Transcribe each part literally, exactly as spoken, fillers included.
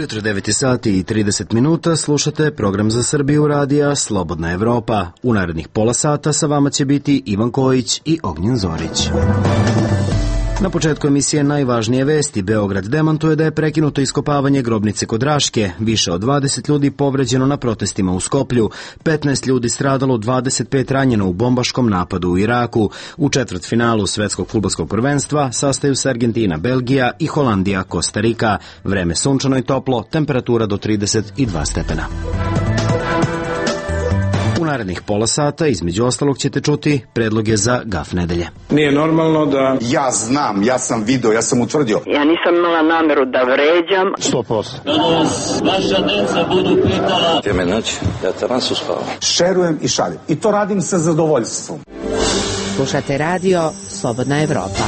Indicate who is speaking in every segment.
Speaker 1: ujutro devet sati i trideset minuta, slušate program za Srbiju radija Slobodna Evropa. U narednih pola sata sa vama će biti Ivan Kojić i Ognjen Zorić. Na početku emisije najvažnije vesti. Beograd demantuje da je prekinuto iskopavanje grobnice kod Raške. Više od dvadeset ljudi povređeno na protestima u Skoplju. petnaest ljudi stradalo, dvadeset pet ranjeno u bombaškom napadu u Iraku. U četvrtfinalu svetskog fudbalskog prvenstva sastaju se Argentina, Belgija i Holandija, Kostarika. Vreme sunčano i toplo, temperatura do trideset dva stepena. U narednih pola sata, između ostalog, ćete čuti predloge za gaf nedelje.
Speaker 2: Nije normalno da...
Speaker 3: Ja znam, ja sam video, ja sam utvrdio.
Speaker 4: Ja nisam imala nameru da vređam.
Speaker 2: Sto posto.
Speaker 5: Kada vas vaša deca budu pitala...
Speaker 6: Teme noć, ja taman su spava.
Speaker 3: Šerujem i šaljem. I to radim sa zadovoljstvom.
Speaker 7: Slušate radio Slobodna Evropa.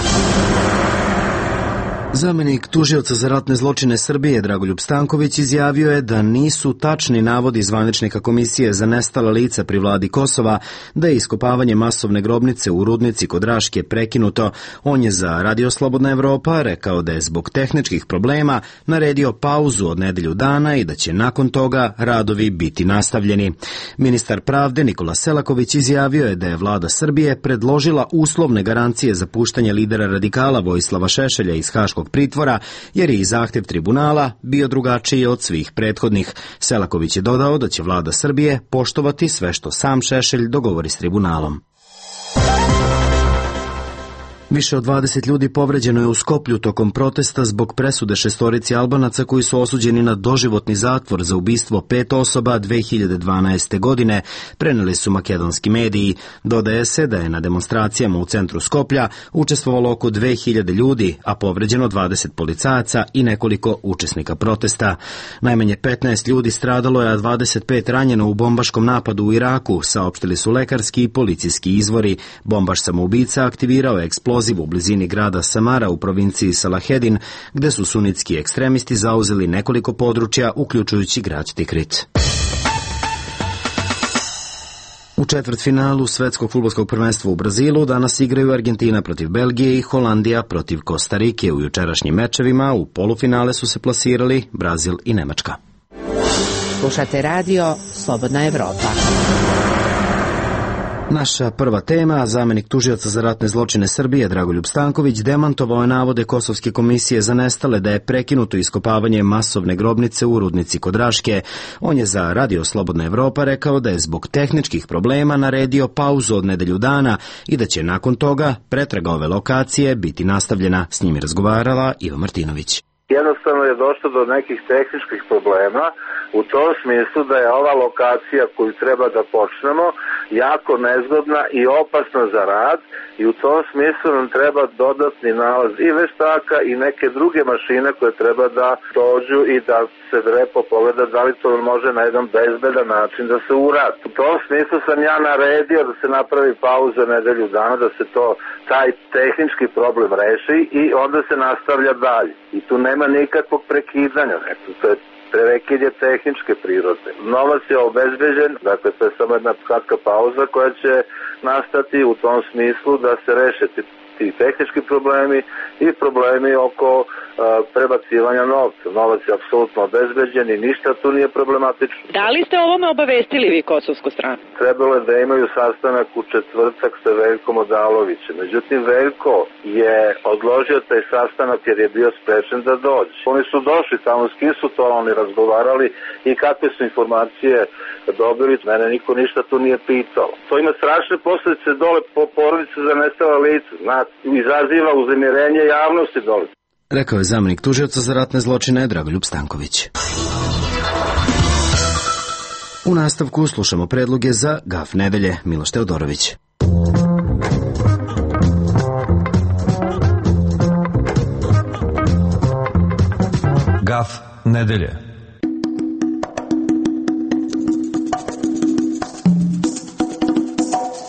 Speaker 1: Zamenik tužioca za ratne zločine Srbije Dragoljub Stanković izjavio je da nisu tačni navodi zvaničnika Komisije za nestala lica pri vladi Kosova da je iskopavanje masovne grobnice u Rudnici kod Raške prekinuto. On je za Radio Slobodna Evropa rekao da je zbog tehničkih problema naredio pauzu od nedelju dana i da će nakon toga radovi biti nastavljeni. Ministar pravde Nikola Selaković izjavio je da je vlada Srbije predložila uslovne garancije za puštanje lidera radikala Vojislava Šešelja iz Haškog pritvora, jer je i zahtev tribunala bio drugačiji od svih prethodnih. Selaković je dodao da će vlada Srbije poštovati sve što sam Šešelj dogovori s tribunalom. Više od dvadeset ljudi povređeno je u Skoplju tokom protesta zbog presude šestorici Albanaca koji su osuđeni na doživotni zatvor za ubistvo pet osoba dve hiljade dvanaeste. godine, preneli su makedonski mediji. Dodaje se da je na demonstracijama u centru Skoplja učestvovalo oko dve hiljade ljudi, a povređeno dvadeset policajaca i nekoliko učesnika protesta. Najmanje petnaest ljudi stradalo je, a dvadeset pet ranjeno u bombaškom napadu u Iraku, saopštili su lekarski i policijski izvori. Bombaš samoubica aktivirao je eksploziv u blizini grada Samara u provinciji Salahedin, gde su sunitski ekstremisti zauzeli nekoliko područja, uključujući grad Tikrit. U četvrtfinalu svetskog fudbalskog prvenstva u Brazilu danas igraju Argentina protiv Belgije i Holandija protiv Kostarike. U jučerašnjim mečevima u polufinale su se plasirali Brazil i Nemačka.
Speaker 7: Slušate radio Slobodna Evropa.
Speaker 1: Naša prva tema, zamenik tužioca za ratne zločine Srbije Dragoljub Stanković demantovao je navode Kosovske komisije za nestale da je prekinuto iskopavanje masovne grobnice u Rudnici kod Raške. On je za Radio Slobodna Evropa rekao da je zbog tehničkih problema naredio pauzu od nedelju dana i da će nakon toga pretraga ove lokacije biti nastavljena. S njim je razgovarala Iva Martinović.
Speaker 8: Jednostavno je došlo do nekih tehničkih problema u tom smislu da je ova lokacija koju treba da počnemo jako nezgodna i opasna za rad i u tom smislu nam treba dodatni nalaz i veštaka i neke druge mašine koje treba da dođu i da se lepo pogleda da li to može na jedan bezbedan način da se uradi. U tom smislu sam ja naredio da se napravi pauza nedelju dana, da se to taj tehnički problem reši i onda se nastavlja dalje. I tu nema nikakvog prekidanja, to je prekid je tehničke prirode. Novac je obezbeđen, dakle to je samo jedna kratka pauza koja će nastati u tom smislu da se reše ti tehnički problemi i problemi oko uh, prebacivanja novca. Novac je apsolutno obezbeđen i ništa tu nije problematično.
Speaker 9: Da li ste o ovome obavestili vi kosovsku stranu?
Speaker 8: Trebalo je da imaju sastanak u četvrtak sa Veljkom Odalovićem. Međutim, Veljko je odložio taj sastanak jer je bio sprečen da dođe. Oni su došli tamo, s kim su to oni razgovarali i kakve su informacije dobili. Mene niko ništa tu nije pitao. To ima strašne posljedice dole po porodice za nestala lica. Znate, izaziva uznemirenje javnosti dole.
Speaker 1: Rekao je zamenik tužioca za ratne zločine Dragoljub Stanković. U nastavku slušamo predloge za gaf nedelje. Miloš Teodorović.
Speaker 10: Gaf nedelje.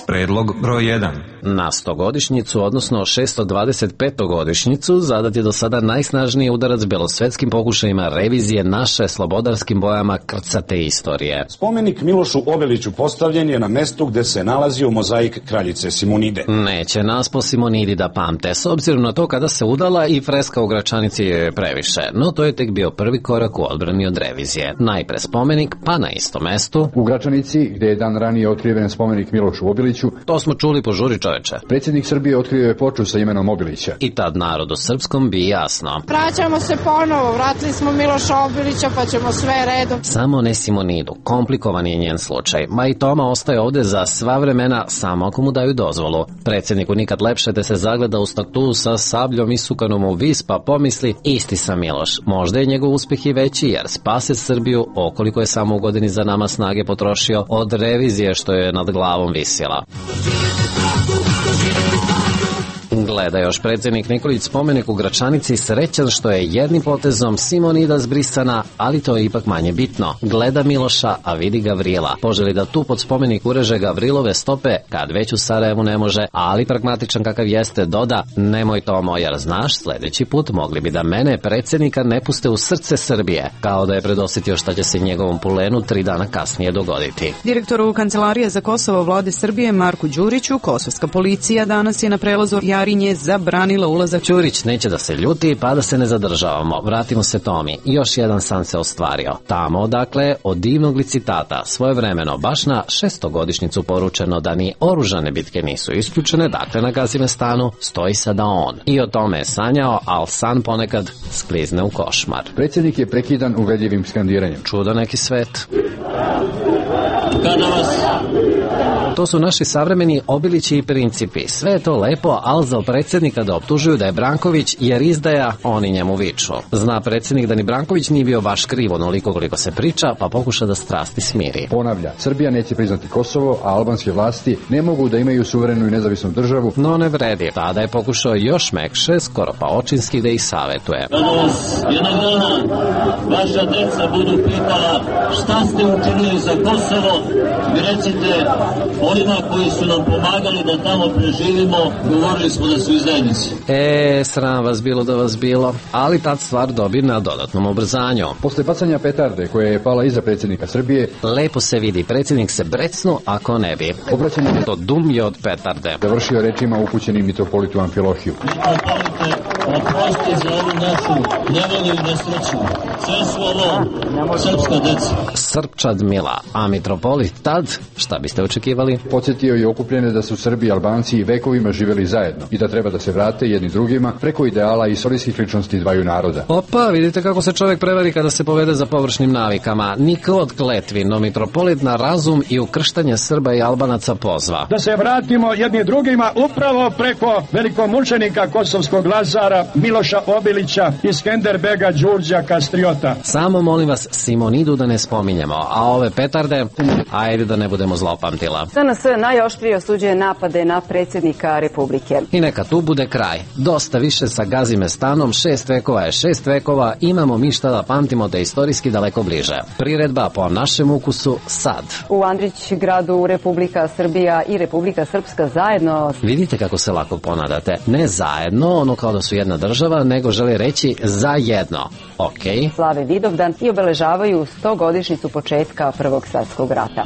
Speaker 10: Predlog broj jedan.
Speaker 11: Na stogodišnjicu, odnosno šesto dvadeset petu godišnjicu, zadat je do sada najsnažniji udarac belosvetskim pokušajima revizije naše slobodarskim bojama krcate istorije.
Speaker 12: Spomenik Milošu Obiliću postavljen je na mestu gde se nalazio mozaik kraljice Simonide.
Speaker 11: Neće nas po Simonidi da pamte, s obzirom na to kada se udala i freska u Gračanici je previše, no to je tek bio prvi korak u odbrani od revizije. Najpre spomenik, pa na istom mestu
Speaker 13: u Gračanici, gde je dan ranije otkriven spomenik Milošu Obiliću.
Speaker 11: To smo čuli po žuri, čoveče.
Speaker 13: Predsjednik Srbije otkrio je ploču sa imenom Obilića.
Speaker 11: I tad narodu srpskom bi jasno.
Speaker 14: Vraćamo se ponovo, vratili smo Miloša Obilića, pa ćemo sve redom.
Speaker 11: Samo ne Simonidu, komplikovan je njen slučaj. Ma i Toma ostaje ovde za sva vremena, samo ako mu daju dozvolu. Predsjedniku nikad lepše da se zagleda u statu sa sabljom isukanom u vis, pa pomisli, isti sam Miloš. Možda je njegov uspeh i veći, jer spase Srbiju, okoliko je samo u godini za nama snage potrošio, od revizije što je nad glavom visila. Gleda još predsjednik Nikolić spomenik u Gračanici, srećan što je jednim potezom Simonida zbrisana, ali to je ipak manje bitno. Gleda Miloša, a vidi Gavrila. Poželi da tu pod spomenik ureže Gavrilove stope, kad već u Sarajevu ne može, ali pragmatičan kakav jeste doda, nemoj Tomo, jer znaš, sljedeći put mogli bi da mene, predsjednika, ne puste u srce Srbije, kao da je predosjetio šta će se njegovom pulenu tri dana kasnije dogoditi.
Speaker 15: Direktoru Kancelarije za Kosovo vlade Srbije Marku Đuriću, kosovska policija danas je na prelazu Jarinje zabranila ulazak.
Speaker 11: Ćurić neće da se ljuti, pa da se ne zadržavamo. Vratimo se Tomi. Još jedan san se ostvario. Tamo, dakle, od divnog licitata, svojevremeno, baš na šestogodišnjicu poručeno da ni oružane bitke nisu isključene, dakle na Gazimestanu stoji sada on. I o tome je sanjao, al san ponekad sklizne u košmar.
Speaker 13: Predsjednik je prekidan uvedljivim skandiranjem.
Speaker 11: Čudo neki svet. To su naši savremeni Obilići i principi. Sve je to lepo, ali za predsjednika da optužuju da je Branković jer izdaja, oni njemu viču. Zna predsjednik da ni Branković nije bio baš kriv onoliko koliko se priča, pa pokuša da strasti smiri.
Speaker 13: Ponavlja, Srbija neće priznati Kosovo, a albanske vlasti ne mogu da imaju suverenu i nezavisnu državu.
Speaker 11: No ne vredi. Tada je pokušao još mekše, skoro pa očinski da ih savjetuje.
Speaker 5: Kada vas jednog dana vaša deca budu pitala šta ste učinili za Kosovo, vi recite onima koji su nam pomagali da tamo preživimo, govorili smo da su izdajnici.
Speaker 11: E, sram vas bilo da vas bilo, ali tad stvar dobi na dodatnom ubrzanju.
Speaker 13: Posle bacanja petarde koja je pala iza predsjednika Srbije,
Speaker 11: lepo se vidi, predsjednik se brecnu ako ne bi.
Speaker 13: Obraćanje
Speaker 11: to dum je od petarde.
Speaker 13: Završio rečima upućenim mitropolitu Amfilohiju.
Speaker 5: Mitropolite, oprosti za ovu našu nevolju i nesreću. Sve su ovo srpska deca.
Speaker 11: Srpčad mila, a mitropolit tad, šta biste očekivali?
Speaker 13: Podsjetio je okupljene da su Srbi i Albanci i vekovima živjeli zajedno i da treba da se vrate jedni drugima preko ideala i istorijskih ličnosti dvaju naroda.
Speaker 11: Opa, vidite kako se čovjek prevari kada se povede za površnim navikama. Niko od kletvi, no mitropolit na razum i ukrštanje Srba i Albanaca pozva.
Speaker 2: Da se vratimo jedni drugima upravo preko velikomučenika kosovskog Lazara, Miloša Obilića i Skenderbega Đurđa Kastriota.
Speaker 11: Samo molim vas Simonidu da ne spominjemo, a ove petarde, ajde da ne budemo zlopamtila.
Speaker 16: S N S najoštrije osuđuje napade na predsjednika Republike.
Speaker 11: I neka tu bude kraj. Dosta više sa Gazimestanom, šest vekova je šest vekova, imamo mi šta da pamtimo da je istorijski daleko bliže. Priredba po našem ukusu sad.
Speaker 16: U Andrić gradu Republika Srbija i Republika Srpska zajedno.
Speaker 11: Vidite kako se lako ponadate. Ne zajedno, ono kao da su jedna država, nego želi reći zajedno. Ok.
Speaker 16: Slave Vidovdan i obeležavaju stogodišnjicu početka Prvog svjetskog rata.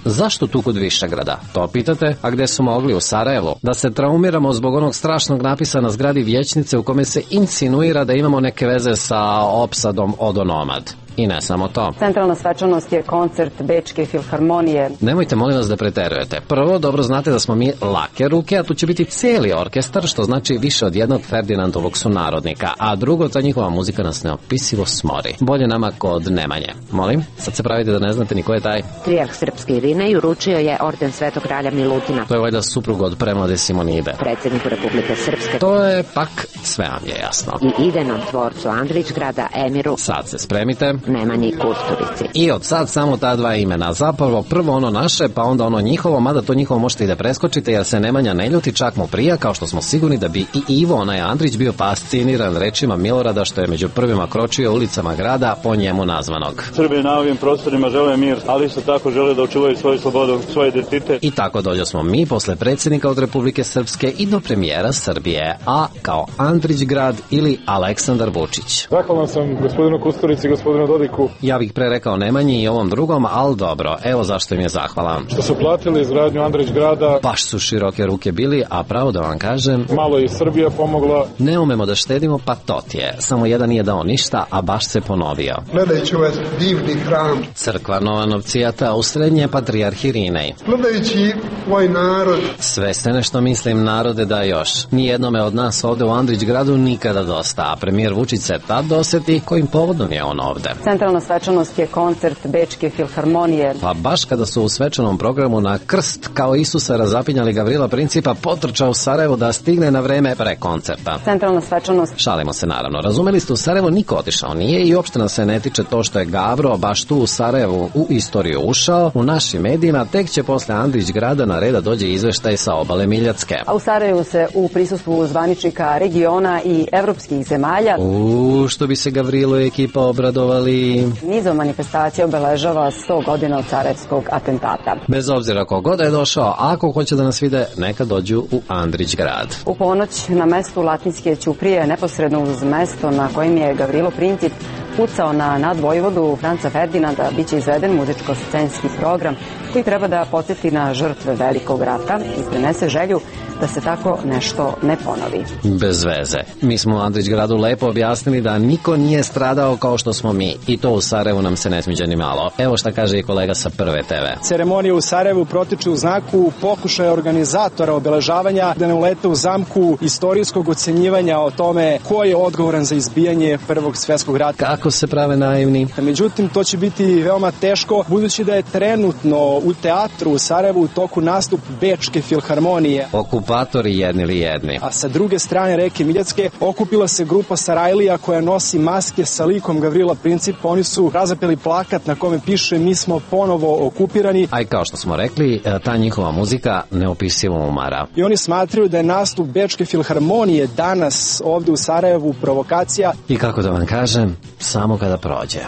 Speaker 11: Zašto tu kod Višegrada? To pitate? A gde su mogli? U Sarajevu? Da se traumiramo zbog onog strašnog napisa na zgradi vijećnice u kome se insinuira da imamo neke veze sa opsadom Odonomad. I ne samo to.
Speaker 16: Centralna svečanost je koncert Bečke filharmonije.
Speaker 11: Nemojte molim vas da preterujete. Prvo, dobro znate da smo mi lake ruke, a tu će biti cijeli orkestar, što znači više od jednog Ferdinandovog sunarodnika. A drugo, ta njihova muzika nas neopisivo smori. Bolje nama kod Nemanje. Molim, sad se pravite da ne znate ni ko je taj.
Speaker 7: Trijarh srpske Irine uručio je orden Svetog kralja Milutina.
Speaker 11: To je valjda suprug od premlade Simonide.
Speaker 7: Predsjedniku Republike Srpske.
Speaker 11: To je pak sve vam je jasno.
Speaker 7: I idejnom tvorcu Andrićgrada, emiru.
Speaker 11: Sad se spremite.
Speaker 7: Nemanji Kusturici.
Speaker 11: I od sad samo ta dva imena. Zapravo prvo ono naše, pa onda ono njihovo, mada to njihovo možete i da preskočite, jer se Nemanja ne ljuti, čak mu prija, kao što smo sigurni da bi i Ivo, onaj Andrić, bio fasciniran rečima Milorada, što je među prvima kročio ulicama grada po njemu nazvanog.
Speaker 17: Srbi na ovim prostorima žele mir, ali isto tako žele da očuvaju svoju slobodu, svoj identitet.
Speaker 11: I tako dođo smo mi posle predsjednika od Republike Srpske i do premijera Srbije, a kao Andrić grad ili Aleksandar Vučić.
Speaker 18: Zahvalan sam gospodinu Kusturici i gospodinu Dodiku.
Speaker 11: Ja bih pre rekao Nemanji i ovom drugom, ali dobro, evo zašto im je zahvalan.
Speaker 18: Što su platili izgradnju Andrić grada.
Speaker 11: Baš su široke ruke bili, a pravo da vam kažem,
Speaker 18: malo i Srbija pomogla.
Speaker 11: Ne umemo da štedimo, pa to ti je. Samo jedan nije dao ništa, a baš se ponovio.
Speaker 19: Gledajući ovaj divni hram.
Speaker 11: Crkva Nova Novcijata u srednje patrijarhi Rinej.
Speaker 19: Gledajući ovaj narod.
Speaker 11: Sve ste nešto mislim, narode, da još. Nijednome od nas ovde u Andrić gradu nikada dosta, a premijer Vučić se tad doseti kojim povodom je on ovde.
Speaker 16: Centralna svečanost je koncert Bečke filharmonije.
Speaker 11: Pa baš kada su u svečanom programu na krst kao Isusa razapinjali Gavrila Principa, potrčao u Sarajevo da stigne na vreme pre koncerta.
Speaker 16: Centralna svečanost.
Speaker 11: Šalimo se naravno. Razumeli ste, u Sarajevo niko otišao nije i uopšte nas se ne tiče to što je Gavro baš tu u Sarajevu u istoriju ušao. U našim medijima tek će posle Andrić grada na reda dođe izveštaj sa obale Miljacke.
Speaker 16: A u Sarajevu se u prisustvu zvaničnika regiona i evropskih zemalja
Speaker 11: U, što bi se Gavrilo i ekipa obradovali.
Speaker 16: Nizom manifestacija obeležava sto godina od sarajevskog atentata.
Speaker 11: Bez obzira kogod je došao, ako hoće da nas vide, neka dođu u Andrić grad.
Speaker 16: U ponoć na mestu Latinske ćuprije, neposredno uz mesto na kojem je Gavrilo Princip pucao na nadvojvodu Franca Ferdinanda, bit će izveden muzičko-scenski program koji treba da podsjeti na žrtve velikog rata i prenese želju da se tako nešto ne ponovi.
Speaker 11: Bez veze. Mi smo u Andrić gradu lepo objasnili da niko nije stradao kao što smo mi. I to u Sarajevu nam se ne smiđa ni malo. Evo šta kaže i kolega sa Prve te ve.
Speaker 20: Ceremonije u Sarajevu protiču u znaku pokušaja organizatora obeležavanja da ne ulete u zamku istorijskog ocenjivanja o tome ko je odgovoran za izbijanje Prvog svjetskog rata.
Speaker 11: Kako se prave naivni?
Speaker 20: Međutim, to će biti veoma teško, budući da je trenutno u teatru u Sarajevu u toku nastup Bečke filharmonije.
Speaker 11: Okupatori jedni ili jedni.
Speaker 20: A sa druge strane reke Miljacke okupila se grupa Sarajlija koja nosi maske sa likom Gavrila Principa. Oni su razapeli plakat na kome piše mi smo ponovo okupirani.
Speaker 11: A i kao što smo rekli, ta njihova muzika neopisivo umara.
Speaker 20: I oni smatraju da je nastup Bečke filharmonije danas ovde u Sarajevu provokacija.
Speaker 11: I kako da vam kažem, samo kada prođe.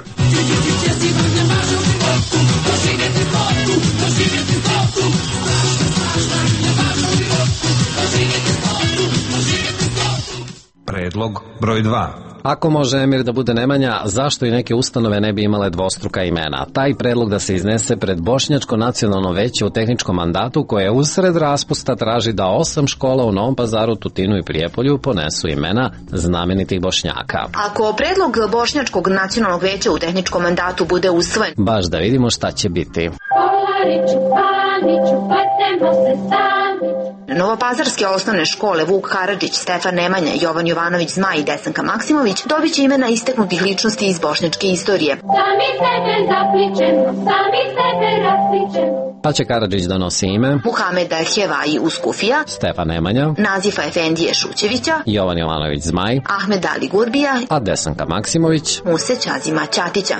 Speaker 10: Predlog broj dva.
Speaker 11: Ako može Emir da bude Nemanja, zašto i neke ustanove ne bi imale dvostruka imena? Taj predlog da se iznese pred Bošnjačko nacionalno veće u tehničkom mandatu koje usred raspusta traži da osam škola u Novom Pazaru, Tutinu i Prijepolju ponesu imena znamenitih Bošnjaka.
Speaker 21: Ako predlog Bošnjačkog nacionalnog veća u tehničkom mandatu bude usvojen,
Speaker 11: baš da vidimo šta će biti.
Speaker 21: Novopazarske osnovne škole Vuk Karadžić, Stefan Nemanja, Jovan Jovanović Zmaj i Desanka Maksimović dobit će imena istaknutih ličnosti iz bošnjačke istorije.
Speaker 22: Sami sebe zapličemo, sami sebe raspličemo.
Speaker 11: Pa će Karadžić da nosi ime
Speaker 21: Muhameda Hevaji Uskufija,
Speaker 11: Stefan Nemanja,
Speaker 21: Nazifa Efendije Šućevića,
Speaker 11: Jovan Jovanović Zmaj,
Speaker 21: Ahmed Ali Gurbija,
Speaker 11: a Desanka Maksimović
Speaker 21: Muse Ćazima Ćatića.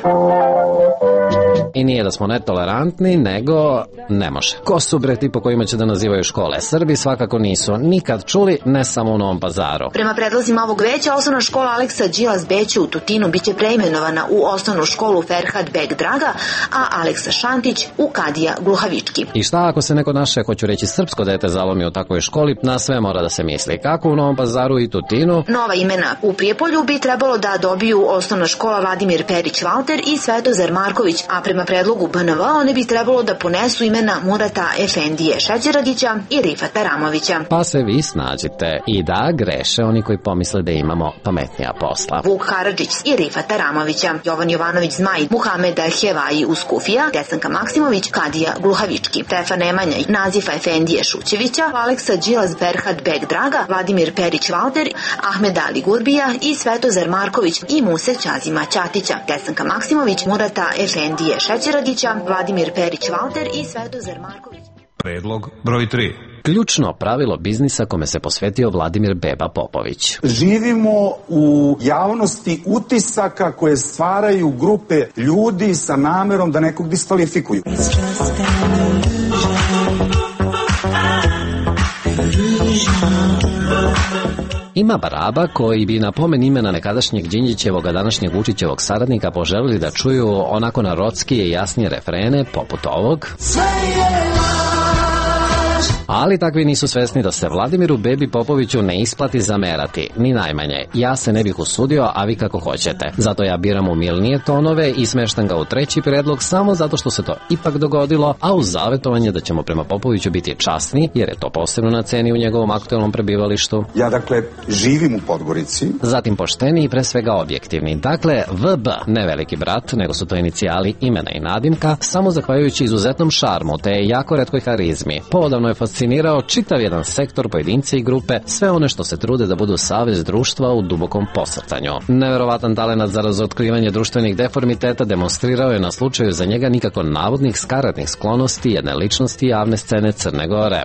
Speaker 11: I nije da smo netolerantni, nego ne može. Ko su bre ti po kojima će da nazivaju škole? Srbi svakako nisu nikad čuli, ne samo u Novom Pazaru.
Speaker 21: Prema predlozima ovog veća, osnovna škola Aleksa Đilas Beću u Tutinu biće preimenovana u osnovnu školu Ferhat Beg Draga, a Aleksa Šantić u Kadija Gluhavički.
Speaker 11: I šta ako se neko naše, hoću reći srpsko dete, zalomi u takvoj školi? Na sve mora da se misli. Kako u Novom Pazaru i Tutinu?
Speaker 21: Nova imena u Prijepolju bi trebalo da dobiju osnovna škola Vladimir Perić Valter i Svetozar Marković, a prema predlogu B N V one bi trebalo da ponesu imena Murata Efendije Šeđeradića i Rifata Ramovića.
Speaker 11: Pa se vi snađite i da greše oni koji pomisle da imamo pametnija posla.
Speaker 21: Vuk Karadžić i Rifata Ramovića, Jovan Jovanović Zmaj, Muhameda Hevaji Uskufija, Desanka Maksimović, Kadija Gluhavički, Stefan Nemanja, Nazifa Efendije Šućevića, Aleksa Đilas Berhat Beg Draga, Vladimir Perić Valter, Ahmed Ali Gurbija i Svetozar Marković i Muse Ćazima Ćatića, Desanka Maksimović, Murata Efendije Šeđeradića, Vladimir Perić Valter i Svetozar Marković.
Speaker 10: Predlog broj tri.
Speaker 11: Ključno pravilo biznisa kome se posvetio Vladimir Beba Popović.
Speaker 3: Živimo u javnosti utisaka koje stvaraju grupe ljudi sa namerom da nekog diskvalifikuju.
Speaker 11: Ima baraba koji bi na pomen imena nekadašnjeg Đinđićevog, a današnjeg Vučićevog saradnika poželili da čuju onako narodskije i jasnije refrene poput ovog. Ali takvi nisu svesni da se Vladimiru Bebi Popoviću ne isplati zamerati, ni najmanje. Ja se ne bih usudio, a vi kako hoćete. Zato ja biram umilnije tonove i smeštam ga u treći predlog samo zato što se to ipak dogodilo, a uz zavetovanje da ćemo prema Popoviću biti časni, jer je to posebno na ceni u njegovom aktualnom prebivalištu.
Speaker 3: Ja dakle živim u Podgorici.
Speaker 11: Zatim pošteni i pre svega objektivni. Dakle, V B, ne veliki brat, nego su to inicijali imena i nadimka, samo zahvaljujući izuzetnom šarmu te jako retkoj harizmi. Poodavno je fascinirao čitav jedan sektor, pojedince i grupe, sve one što se trude da budu savez društva u dubokom posrtanju. Neverovatan talenat za razotkrivanje društvenih deformiteta demonstrirao je na slučaju za njega nikako navodnih skaradnih sklonosti jedne ličnosti javne scene Crne Gore.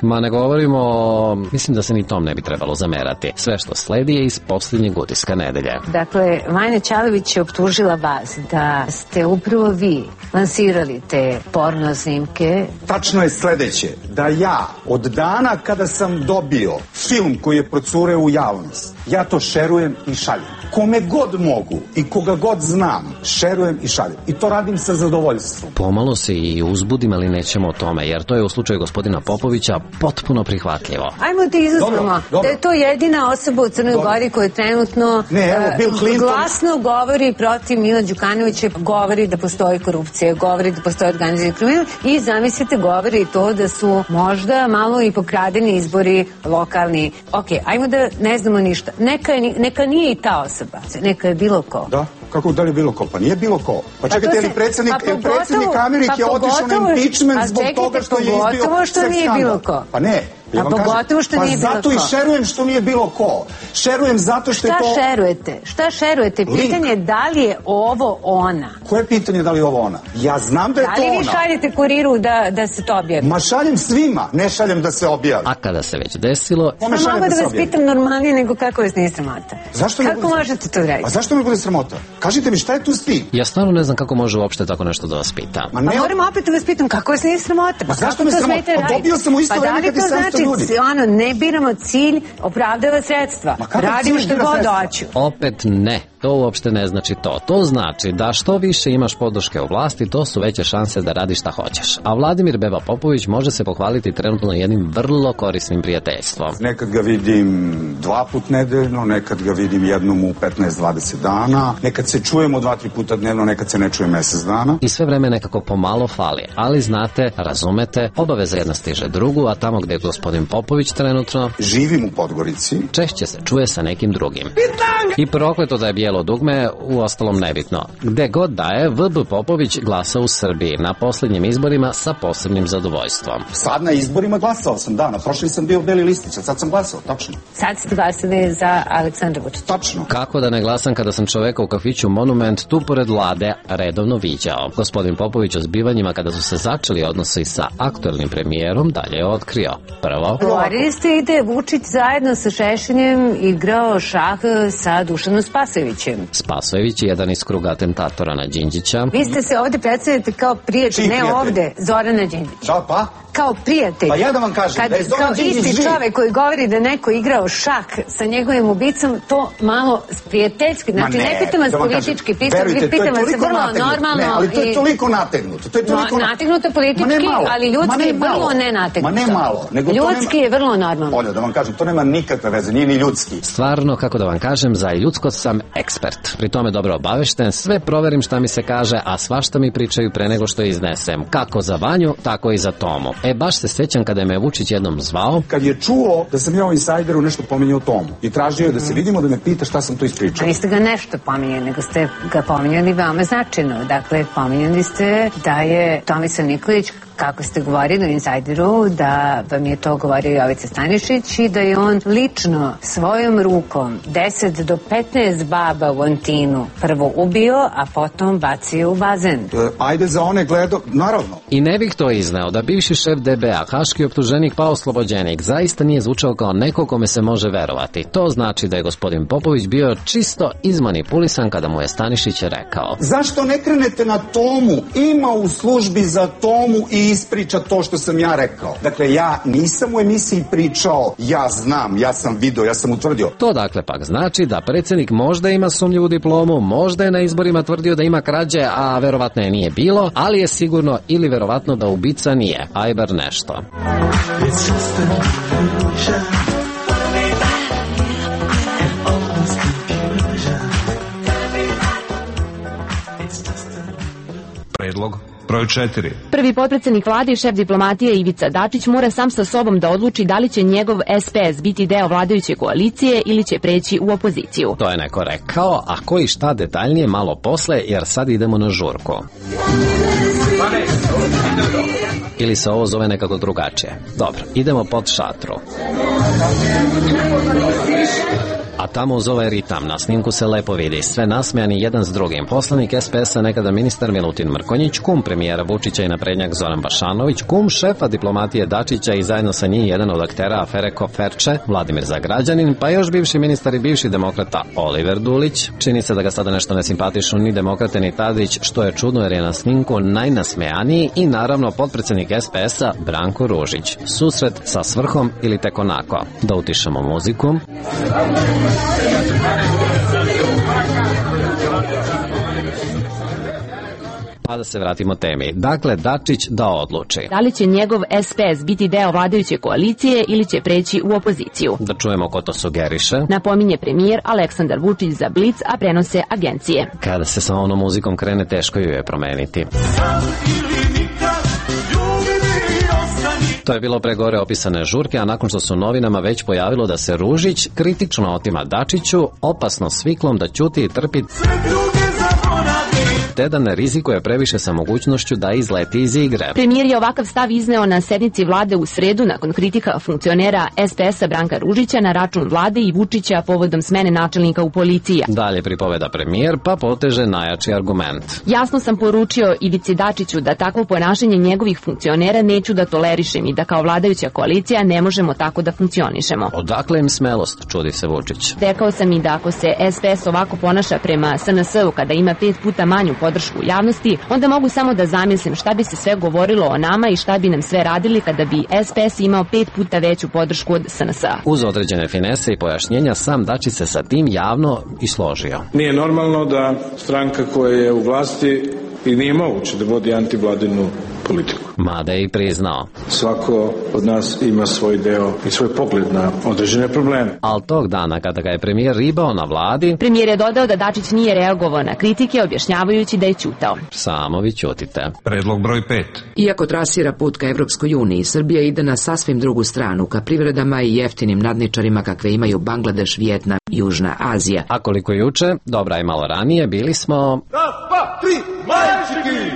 Speaker 11: Ma ne govorimo, mislim da se ni tom ne bi trebalo zamerati. Sve što sledi je iz posljednjeg utiska nedelje.
Speaker 4: Dakle, Vanja Ćalović je optužila vas da ste upravo vi lansirali te porno snimke.
Speaker 3: Tačno je sledeće, da ja od dana kada sam dobio film koji je procureo u javnost, ja to šerujem i šaljem. Kome god mogu i koga god znam, šerujem i šaljem. I to radim sa zadovoljstvom.
Speaker 11: Pomalo se i uzbudim, ali nećemo o tome, jer to je u slučaju gospodina Popovića potpuno prihvatljivo.
Speaker 4: Ajmo da izuzmemo da je to jedina osoba u Crnoj Gori koja trenutno
Speaker 3: ne, evo, Bill Clinton
Speaker 4: glasno govori protiv Mila Đukanovića, govori da postoji korupcija, govori da postoji organizirani kriminal i zamislite govori to da su možda malo i pokradeni izbori lokalni. Ok, ajmo da ne znamo ništa. Neka, je, neka nije i ta osoba, neka je bilo ko.
Speaker 3: Da, kako da li bilo ko? Pa nije bilo ko. Pa čekajte, je li predsjednik,
Speaker 4: pa pogotovo,
Speaker 3: predsjednik Amerike
Speaker 4: pa
Speaker 3: otišao na impeachment zbog čekajte, toga što je izbio
Speaker 4: pogotovo što nije bilo ko.
Speaker 3: Pa ne.
Speaker 4: Ja a pogotovo što
Speaker 3: pa
Speaker 4: nije bilo ko.
Speaker 3: Pa zato i šerujem što nije bilo ko. Šerujem zato što
Speaker 4: šta
Speaker 3: je to...
Speaker 4: Šta šerujete? Šta šerujete? Pitanje je da li je ovo ona.
Speaker 3: Koje pitanje da li je ovo ona? Ja znam da je
Speaker 4: da
Speaker 3: to ona.
Speaker 4: Da li vi šaljete kuriru da, da se to objavi?
Speaker 3: Ma šaljem svima, ne šaljem da se objavi.
Speaker 11: A kada se već desilo...
Speaker 4: Samo mogu da, da vas pitam normalnije nego kako vas nije sramota.
Speaker 3: Zašto
Speaker 4: kako možete to raditi?
Speaker 3: A zašto me bude sramota? Kažite mi šta je tu stid?
Speaker 11: Ja stvarno ne znam kako može uopšte tako nešto da vas pita.
Speaker 4: Ma ne... Pa moram opet da vas pitam kako vas nije sramota.
Speaker 3: Ma zašto me sramota? Pa dobio sam u isto vreme kad i sedamsto ljudi.
Speaker 4: Ne biramo cilj, opravdava sredstva. Radimo što god hoću.
Speaker 11: Opet ne. To uopšte ne znači to. To znači da što više imaš podrške u vlasti, to su veće šanse da radiš šta hoćeš. A Vladimir Beba Popović može se pohvaliti trenutno jednim vrlo korisnim prijateljstvom.
Speaker 3: Nekad ga vidim dva put nedeljno, nekad ga vidim jednom u petnaest dvadeset dana, nekad se čujemo dva, tri puta dnevno, nekad se ne čuje mesec dana.
Speaker 11: I sve vreme nekako pomalo fali. Ali znate, razumete, obaveza jedna stiže drugu, a tamo gde je gospodin Popović trenutno...
Speaker 3: Živim u Podgorici.
Speaker 11: Češće se čuje sa nekim drugim. I prokleto da je bijelo dugme, u ostalom nebitno. Gde god da je, V B Popović glasa u Srbiji na posljednjim izborima sa posebnim zadovoljstvom.
Speaker 3: Sad na izborima glasao sam, da, na prošli sam bio beli listić, a sad sam glasao, tačno.
Speaker 4: Sad ste glasali za Aleksandra Vučića.
Speaker 3: Tačno.
Speaker 11: Kako da ne glasam kada sam čoveka u kafiću Monument tu pored Vlade redovno viđao. Gospodin Popović o zbivanjima kada su se začeli odnosi sa aktuelnim premijerom dalje je otkrio. Prvo...
Speaker 4: Govorili ste i da je Vučić zajedno sa Šešeljem igrao šah sa Dušanom Spasojevićem.
Speaker 11: Spasojević je jedan iz kruga atentatora na Đinđića.
Speaker 4: Vi ste se ovde predstavljate kao prijatelj, ne ovde, Zorana Đinđića.
Speaker 3: Da, pa?
Speaker 4: Kao prijatelj.
Speaker 3: Pa ja da vam kažem,
Speaker 4: kad,
Speaker 3: da je Zoran Đinđić živ. Kao isti čovek koji govori da neko igrao šak sa njegovim ubicom, to malo prijateljski. Znači, ne, ne pitam vas da politički, verujte,
Speaker 4: pitam vas vrlo normalno.
Speaker 3: Ne, ali to je toliko nategnuto. To je toliko
Speaker 4: no, nategnuto politički, ali ljudski je vrlo nenategnuto.
Speaker 3: Ma ne malo. Nego
Speaker 4: ljudski je vrlo normalno.
Speaker 3: Olja, da vam kažem, to nema nikakve veze, nije ni ljudski.
Speaker 11: Stvarno, kako da vam kažem, za ljudsko sam ekspert. Pri tome dobro obavešten, sve proverim šta mi se kaže, a svašta mi pričaju pre nego što iznesem. Kako za Vanju, tako i za Tomu. E, baš se sećam kada je me Vučić jednom zvao.
Speaker 3: Kad je čuo da sam ja u Insajderu nešto pominjao Tomu i tražio je da se vidimo, da me pita šta sam to ispričao.
Speaker 4: A niste ga nešto pominjali, nego ste ga pominjali veoma značajno. Dakle, pominjali ste da je Tomislav Nikolić kako ste govorili u Insajderu, da vam je to govorio Jovica Stanišić i da je on lično svojom rukom deset do petnaest baba u Antinu prvo ubio, a potom bacio u bazen.
Speaker 3: E, ajde za one gledo, naravno.
Speaker 11: I ne bih to izneo da bivši šef D B A, haški optuženik pa oslobođenik, zaista nije zvučao kao neko kome se može verovati. To znači da je gospodin Popović bio čisto izmanipulisan kada mu je Stanišić rekao:
Speaker 3: zašto ne krenete na Tomu? Ima u službi za Tomu i ispriča to što sam ja rekao. Dakle, ja nisam u emisiji pričao, ja znam, ja sam video, ja sam utvrdio.
Speaker 11: To dakle pak znači da predsjednik možda ima sumnjivu diplomu, možda je na izborima tvrdio da ima krađe, a verovatno je nije bilo, ali je sigurno ili verovatno da ubica nije, aj bar nešto.
Speaker 10: Predlog broj četiri.
Speaker 6: Prvi potpredsjednik vlade i šef diplomatije Ivica Dačić mora sam sa sobom da odluči da li će njegov S P S biti deo vladajuće koalicije ili će preći u opoziciju.
Speaker 11: To je neko rekao, a koji šta detaljnije malo posle, jer sad idemo na žurku. Ili se ovo zove nekako drugačije. Dobro, idemo pod šatru. A tamo uz ovaj ritam na snimku se lepo vidi, sve nasmejani jedan s drugim. Poslanik S P S-a, nekada ministar Milutin Mrkonjić, kum premijera Vučića i naprednjak Zoran Bašanović, kum šefa diplomatije Dačića i zajedno sa njim jedan od aktera afere Koferče, Vladimir Zagrađanin, pa još bivši ministar i bivši demokrata Oliver Dulić. Čini se da ga sada nešto ne simpatišu ni demokrate ni Tadić, što je čudno jer je na snimku najnasmejaniji, i naravno potpredsjednik S P S-a Branko Ružić. Susret sa svrhom ili tek onako. Da utišamo muziku. Pa da se vratimo temi. Dakle, Dačić da odluči.
Speaker 6: Da li će njegov S P S biti deo vladajuće koalicije ili će preći u opoziciju?
Speaker 11: Da čujemo ko to sugeriše.
Speaker 6: Napominje premijer Aleksandar Vučić za Blic, a prenose agencije.
Speaker 11: Kada se sa onom muzikom krene, teško ju je promeniti. To je bilo pre gore opisane žurke, a nakon što su novinama već pojavilo da se Ružić kritično otima Dačiću, opasno sviklom da ćuti i trpi, te da ne rizikuje previše sa mogućnošću da izleti iz igre.
Speaker 6: Premijer je ovakav stav izneo na sednici vlade u sredu nakon kritika funkcionera S P S-a Branka Ružića na račun vlade i Vučića povodom smene načelnika u policiji.
Speaker 11: Dalje pripoveda premijer, pa poteže najjači argument.
Speaker 6: Jasno sam poručio Ivici Dačiću da takvo ponašanje njegovih funkcionera neću da tolerišem i da kao vladajuća koalicija ne možemo tako da funkcionišemo.
Speaker 11: Odakle im smelost, čudi se Vučić.
Speaker 6: Rekao sam i da ako se S P S ovako ponaša prema S N S-u kada ima pet puta manju podršku javnosti, onda mogu samo da zamislim šta bi se sve govorilo o nama i šta bi nam sve radili kada bi S P S imao pet puta veću podršku od S N S-a.
Speaker 11: Uz određene finese i pojašnjenja, sam Dačić se sa tim javno i složio.
Speaker 18: Nije normalno da stranka koja je u vlasti i nije moguće da vodi antivladinu politiku.
Speaker 11: Mada je i priznao.
Speaker 18: Svako od nas ima svoj deo i svoj pogled na određene probleme.
Speaker 11: Al tog dana kada ga je premijer ribao na vladi,
Speaker 6: premijer je dodao da Dačić nije reagovao na kritike, objašnjavajući da je ćutao.
Speaker 11: Samo vi ćutite.
Speaker 10: Predlog broj pet.
Speaker 9: Iako trasira put ka Evropskoj uniji, Srbija ide na sasvim drugu stranu, ka privredama i jeftinim nadničarima kakve imaju Bangladeš, Vijetnam i Južna Azija.
Speaker 11: A koliko juče, dobra i malo ranije, bili smo...
Speaker 23: Dva, tri, majčiki!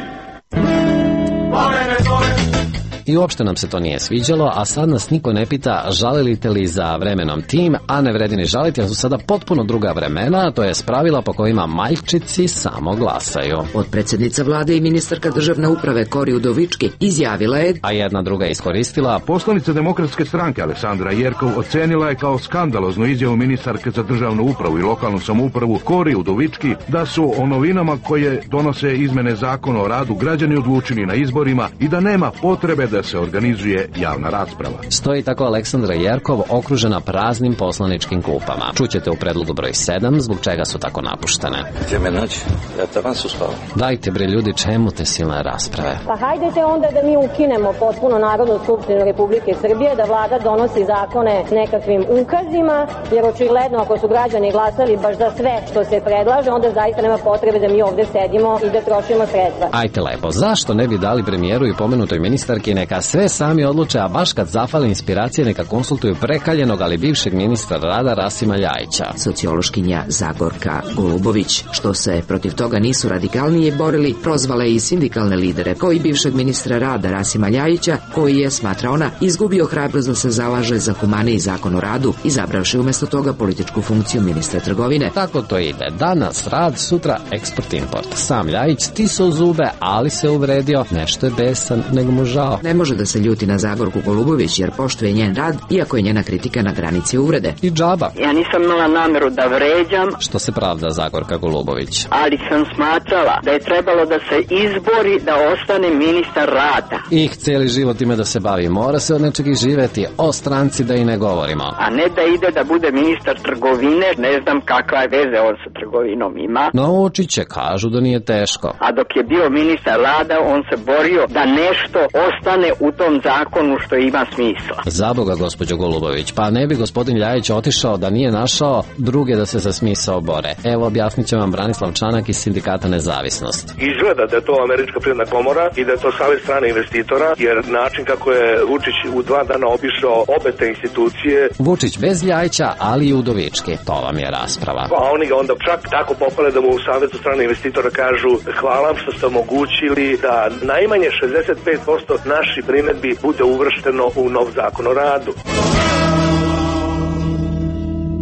Speaker 11: I uopšte nam se to nije sviđalo, a sad nas niko ne pita žalite li za vremenom tim, a ne vredi ni žaliti, jer su sada potpuno druga vremena, to je pravila po kojima majčici samo glasaju.
Speaker 9: Potpredsjednica vlade i ministarka državne uprave Kori Udovički izjavila je,
Speaker 11: a jedna druga iskoristila.
Speaker 24: Poslanica Demokratske stranke Aleksandra Jerkov ocenila je kao skandaloznu izjavu ministarke za državnu upravu i lokalnu samoupravu Kori Udovički da su o novinama koje donose izmene zakona o radu građani odlučili na izborima i da nema potrebe da se organizuje javna rasprava.
Speaker 11: Stoji tako Aleksandra Jerkov okružena praznim poslaničkim klupama. Čućete u predlogu broj sedam zbog čega su tako napuštene.
Speaker 23: Gdje me naći? Ja tavan su spao.
Speaker 11: Dajte bre ljudi, čemu te silne rasprave?
Speaker 25: Pa hajdete onda da mi ukinemo potpuno Narodnu skupštinu Republike Srbije, da vlada donosi zakone nekakvim ukazima, jer očigledno ako su građani glasali baš za sve što se predlaže, onda zaista nema potrebe da mi ovde sedimo i da trošimo sredstva.
Speaker 11: Ajte lepo, zašto ne bi dali premijeru i pomenutoj ministarki Neka sve sami odluče, a baš kad zafale inspiracije neka konsultuju prekaljenog, ali bivšeg ministra rada Rasima Ljajića.
Speaker 9: Sociološkinja Zagorka Golubović, što se protiv toga nisu radikalnije borili, prozvala i sindikalne lidere, kao i bivšeg ministra rada Rasima Ljajića, koji je, smatra ona, izgubio hrabrost da se zalaže za humaniji zakon o radu, izabravši umjesto toga političku funkciju ministra trgovine.
Speaker 11: Tako to ide. Danas rad, sutra eksport-import. Sam Ljajić stisao zube, ali se uvredio, nešto je besan, nego mu žao.
Speaker 9: Ne može da se ljuti na Zagorku Golubović jer poštuje njen rad, iako je njena kritika na granici uvrede.
Speaker 11: I džaba.
Speaker 1: Ja nisam imala nameru da vređam.
Speaker 11: Što se pravda Zagorka Golubović.
Speaker 1: Ali sam smatrala da je trebalo da se izbori da ostane ministar rada.
Speaker 11: Ih, cijeli život ima da se bavi. Mora se od nečeg i živeti. O stranci da i ne govorimo.
Speaker 1: A ne da ide da bude ministar trgovine. Ne znam kakva je veze on sa trgovinom ima.
Speaker 11: Naučit će, kažu da nije teško.
Speaker 1: A dok je bio ministar rada, on se borio da nešto ostane u tom zakonu što ima smisla.
Speaker 11: Za Boga, gospođo Golubović, pa ne bi gospodin Ljajić otišao da nije našao druge da se za smisao bore. Evo, objasnit će vam Branislav Čanak iz Sindikata Nezavisnost.
Speaker 8: Izgleda da je to Američka privredna komora i da je to savez strane investitora, jer način kako je Vučić u dva dana obišao obe te institucije.
Speaker 11: Vučić bez Ljajića, ali i Udovički. To vam je rasprava.
Speaker 8: Pa oni ga onda čak tako popale da mu u savezu strane investitora kažu hvala vam što ste omogućili da najmanje šezdeset pet posto naših primedbi bude uvršteno u nov zakon o radu.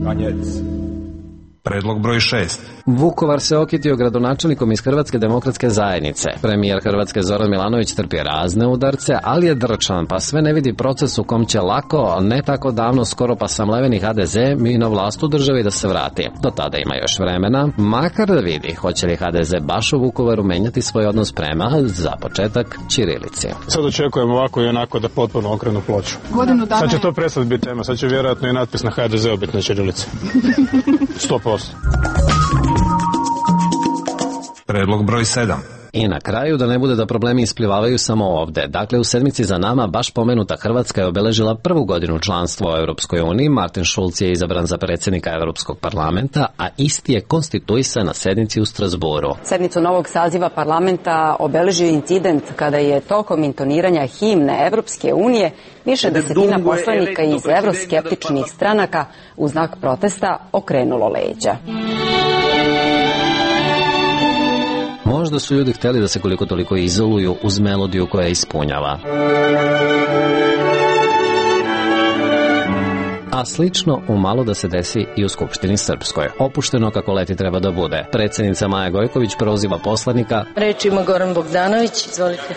Speaker 10: Kanjec. Predlog broj šest.
Speaker 11: Vukovar se okitio gradonačelnikom iz Hrvatske demokratske zajednice. Premijer Hrvatske Zoran Milanović trpi razne udarce, ali je drčan, pa sve ne vidi proces u kom će lako, ne tako davno, skoro pa samleveni ha de ze mi na vlast u državi da se vrati. Do tada ima još vremena, makar da vidi hoće li ha de ze baš u Vukovaru menjati svoj odnos prema, za početak, ćirilici.
Speaker 12: Sad očekujemo ovako i onako da potpuno okrenu ploču.
Speaker 14: Godinu dana.
Speaker 12: Sad će to prestati biti tema, sad će vjerojatno i natpis na ha de ze biti na ćirilici. sto posto.
Speaker 10: Predlog broj sedam.
Speaker 11: I na kraju, da ne bude da problemi isplivavaju samo ovde. Dakle, u sedmici za nama baš pomenuta Hrvatska je obeležila prvu godinu članstva u Europskoj uniji. Martin Schulz je izabran za predsjednika Europskog parlamenta, a isti je konstituisan na sednici u Strasburu.
Speaker 16: Sednicu novog saziva parlamenta obeležio incident kada je tokom intoniranja himne Evropske unije više desetina poslanika iz evroskeptičnih stranaka u znak protesta okrenulo leđa.
Speaker 11: Možda su ljudi htjeli da se koliko toliko izoluju uz melodiju koja ispunjava. A slično umalo da se desi i u Skupštini Srpskoj. Opušteno kako leti treba da bude. Predsjednica Maja Gojković proziva poslanika.
Speaker 15: Reč ima Goran Bogdanović, izvolite.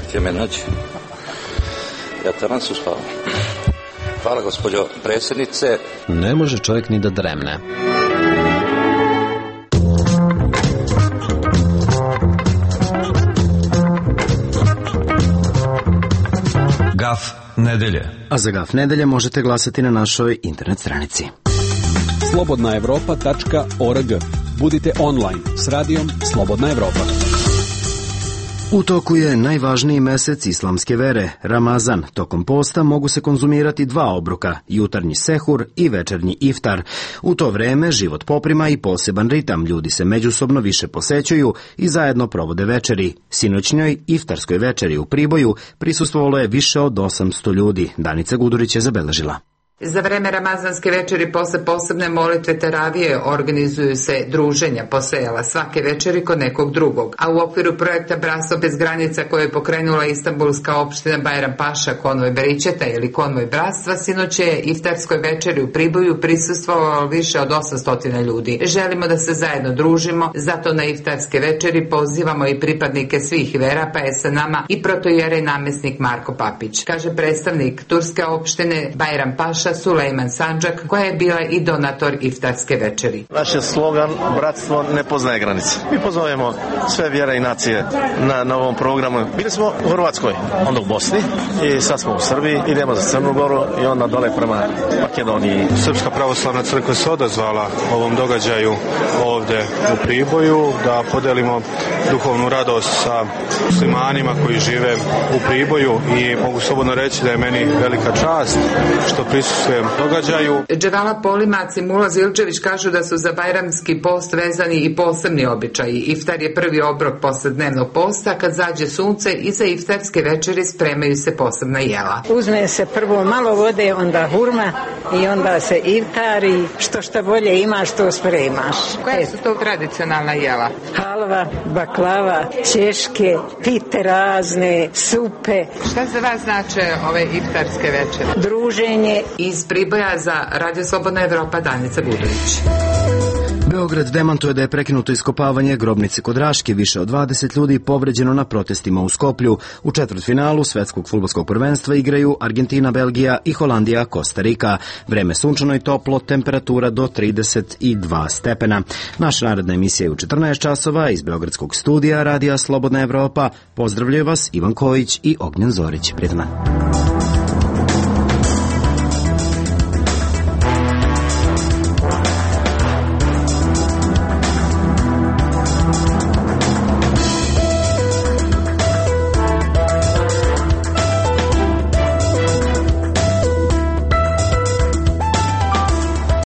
Speaker 23: Gdje me naći? Ja taman su spao. Hvala, gospođo predsjednice.
Speaker 11: Ne može čovjek ni da dremne.
Speaker 10: Gaf nedelje.
Speaker 26: A za Gaf nedelje možete glasati na našoj internet stranici.
Speaker 27: slobodna evropa tačka org. Budite online s radijom Slobodna Evropa.
Speaker 26: U toku je najvažniji mesec islamske vere, Ramazan. Tokom posta mogu se konzumirati dva obroka, jutarnji sehur i večernji iftar. U to vreme život poprima i poseban ritam, ljudi se međusobno više posećuju i zajedno provode večeri. Sinoćnjoj iftarskoj večeri u Priboju prisustvovalo je više od osamsto ljudi. Danica Gudurić je zabeležila.
Speaker 28: Za vreme ramazanske večeri posle posebne molitve teravije organizuju se druženja posejala svake večeri kod nekog drugog. A u okviru projekta Bratstvo bez granica koje je pokrenula Istanbulska opština Bajram Paša, konvoj Beričeta ili konvoj bratstva, sinoć je iftarskoj večeri u Priboju prisustvovalo više od osamsto ljudi. Želimo da se zajedno družimo, zato na iftarske večeri pozivamo i pripadnike svih vera, pa je sa nama i protojerej namjesnik Marko Papić, kaže predstavnik turske opštine Bajram Paša Sulejman Sandžak, koja je bila i donator iftarske večeri.
Speaker 29: Naš je slogan Bratstvo ne poznaje granice. Mi pozovemo sve vjere i nacije na novom programu. Bili smo u Hrvatskoj, onda u Bosni i sad smo u Srbiji, idemo za Crnu Goru i onda dole prema Makedoniji.
Speaker 18: Srpska pravoslavna crkva se odazvala ovom događaju ovde u Priboju da podelimo duhovnu radost sa muslimanima koji žive u Priboju i mogu slobodno reći da je meni velika čast što prisustvujem se događaju.
Speaker 28: Dževala Polimac i Mula Zilčević kažu da su za bajramski post vezani i posebni običaji. Iftar je prvi obrok posle dnevnog posta, kad zađe sunce i za iftarske večeri spremaju se posebna jela.
Speaker 2: Uzme se prvo malo vode, onda hurma i onda se iftari, što šta bolje imaš, to spremaš.
Speaker 28: Koja su to tradicionalna jela?
Speaker 2: Halva, baklava, ćeške, pite razne, supe.
Speaker 28: Šta za vas znače ove iftarske večere?
Speaker 2: Druženje.
Speaker 28: Iz Priboja za Radio Slobodna Evropa Danica Budović.
Speaker 26: Beograd demantuje da je prekinuto iskopavanje grobnice kod Raške, više od dvadeset ljudi povređeno na protestima u Skoplju. U četvrtfinalu svetskog fudbalskog prvenstva igraju Argentina, Belgija i Holandija, Kostarika. Vreme sunčano i toplo, temperatura do trideset dva stepena. Naša naredna emisija je u četrnaest časova iz Beogradskog studija Radija Slobodna Evropa. Pozdravljaju vas Ivan Kojić i Ognjen Zorić. Prijetno.